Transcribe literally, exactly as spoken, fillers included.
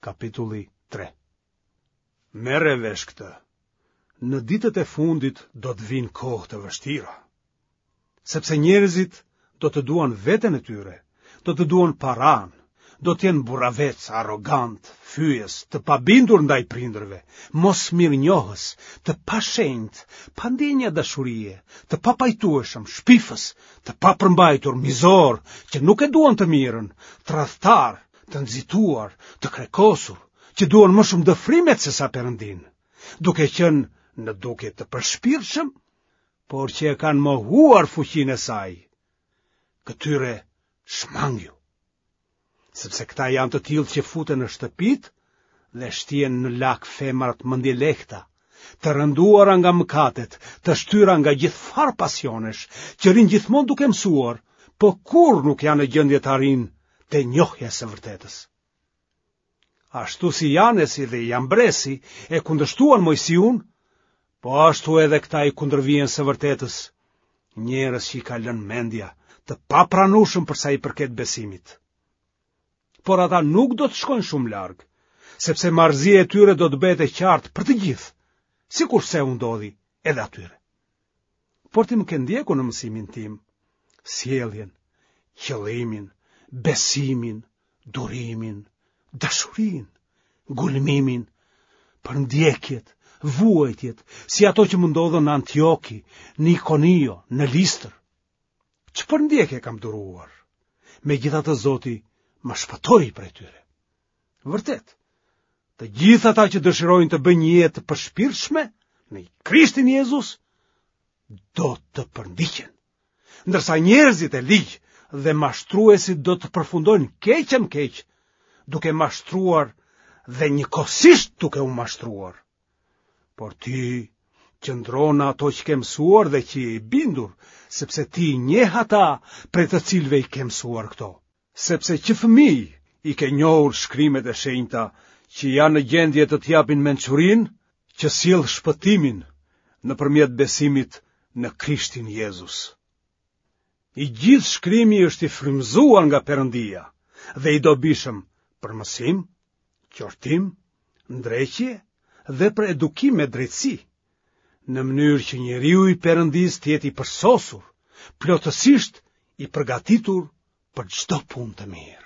kapitulli tre. Merre vesh këtë. Në ditët e fundit do të vijnë kohë të vështira. Sepse njerëzit do të duan veten e tyre, do të duan paranë, do të jenë burravecë, arrogantë, fyes, të pabindur ndaj prindërve, mosmirënjohës, të pashenjtë, pa ndjenja dashurie, të papajtueshëm, shpifës, të papërmbajtur, mizorë, që nuk e duan të mirën, tradhtarë, të nxituar, të krekosur, që duan më shumë dëfrimet sesa Perëndinë, duke qenë në dukje të përshpirtshëm, por që e kanë mohuar fuqinë e saj. Këtyre shmangju, sepse këta janë të tillë që futen në shtëpitë dhe shtien në lak femrat mendjelehta, të rënduara nga mëkatet, të shtyra nga gjithfarë pasionesh, që rrinë gjithmonë duke mësuar, po kurrë nuk janë në gjendje të arrijnë te njohja e së vërtetës. Ashtu si Janesi dhe Jambresi e kundërshtuan Moisiun, po ashtu edhe këta i kundërvihen së vërtetës, njerëz që i ka lënë mendja, të papranueshëm për sa i përket besimit. Por ata nuk do të shkojnë shumë larg, sepse marrëzia e tyre do të bëhet e qartë për të gjithë, sikurse u ndodhi edhe atyre. Por ti më ke ndjekur në mësimin tim, sjelljen, qëllimin, besimin, durimin, dashurinë, ngulmimin, përndjekjet, vuajtjet, si ato që më ndodhën në Antioki, në Ikonio, në Listër. Ç'përndjekje kam duruar? Megjithatë Zoti më shpëtoi prej tyre. Vërtet, të gjithë ata që dëshirojnë të bëjnë një jetë të përshpirtshme në Krishtin Jezus do të përndiqen. Ndërsa njerëzit e ligj dhe mashtruesit do të përfundojnë keq e më keq, duke mashtruar dhe njëkohësisht duke u mashtruar. Por ti qëndro në ato që ke mësuar dhe që je i bindur, sepse ti i njeh ata prej të cilëve i ke mësuar këto. Sepse që fëmijë i ke njohur shkrimet e shenjta që janë në gjendje të të japin mençurinë që sjell shpëtimin nëpërmjet besimit në Krishtin Jezus. I gjithë shkrimi është i frymëzuar nga Perëndia dhe i dobishëm për mësim, qortim, ndreqje dhe për edukim me drejtësi, në mënyrë që njeriu i Perëndisë të jetë i përsosur, plotësisht i përgatitur për çdo punë të mirë.